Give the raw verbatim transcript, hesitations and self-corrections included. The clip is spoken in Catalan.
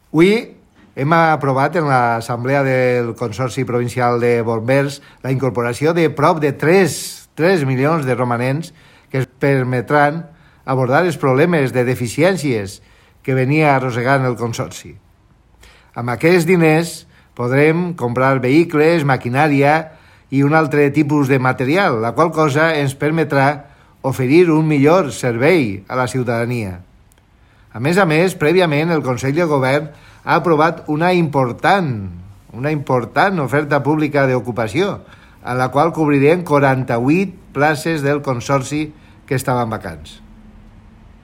Avui hem aprovat en l'Assemblea del Consorci Provincial de Bombers la incorporació de prop de tres milions de romanents que ens permetran abordar els problemes de deficiències que venia arrossegant el Consorci. Amb aquests diners podrem comprar vehicles, maquinària i un altre tipus de material, la qual cosa ens permetrà oferir un millor servei a la ciutadania. A més a més, prèviament el Consell de Govern ha aprovat una important, una important oferta pública d'ocupació, a la qual cobrirem quaranta-vuit places del Consorci que estaven vacants.